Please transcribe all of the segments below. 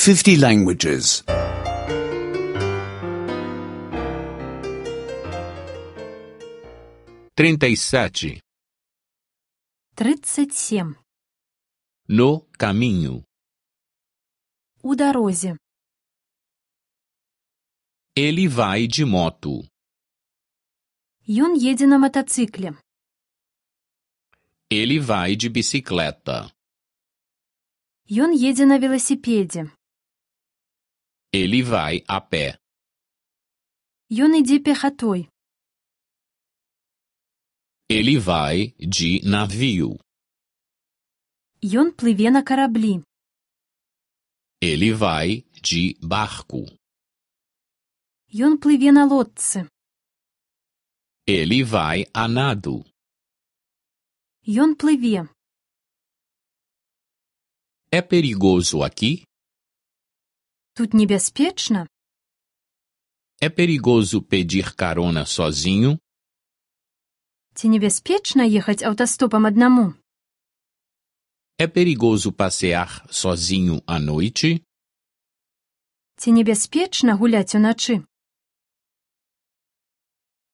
50 languages. 37. 37. No caminho. У дорозі. Ele vai de moto. Ён едзе на мотоцикле. Ele vai de bicicleta. Ён едзе на велосипеде. Ele vai a pé. Ён ідзе пехатой. Ele vai de navio. Ён плыве на караблі. Ele vai de barco. Ён плыве на лодцы. Ele vai a nado. Ён плыве. É perigoso aqui? Тут небяспечна? É perigoso pedir carona sozinho? Ці небяспечна ехаць аўтастопам аднаму? É perigoso passear sozinho à noite? Ці небяспечна гуляць уначы?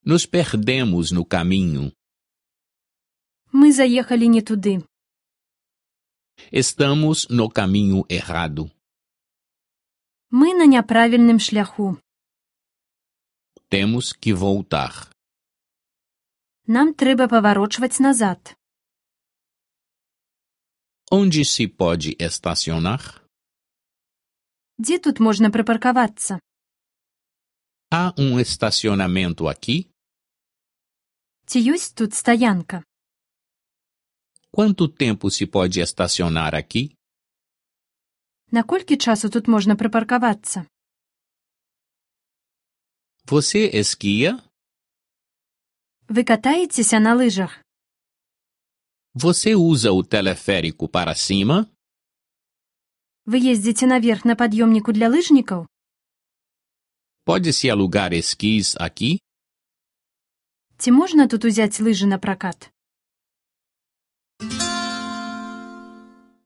Nos perdemos no caminho. Мы заехалі не туды. Estamos no caminho errado. Мы на няправільным шляху. Temos que voltar. Нам трэба паварочваць назад. Onde se pode estacionar? Дзе тут можна прыпаркавацца? Há estacionamento aqui? Ці ёсць тут стаянка? Quanto tempo se pode estacionar aqui? Наколькі часу тут можна прыпаркавацца? Você esquia? Вы катаецеся на лыжах? Você usa o teleférico para cima? Вы ездзіце наверх на пад'ёмніку для лыжнікаў? Pode-se alugar esquis aqui? Ці можна тут узяць лыжы на пракат?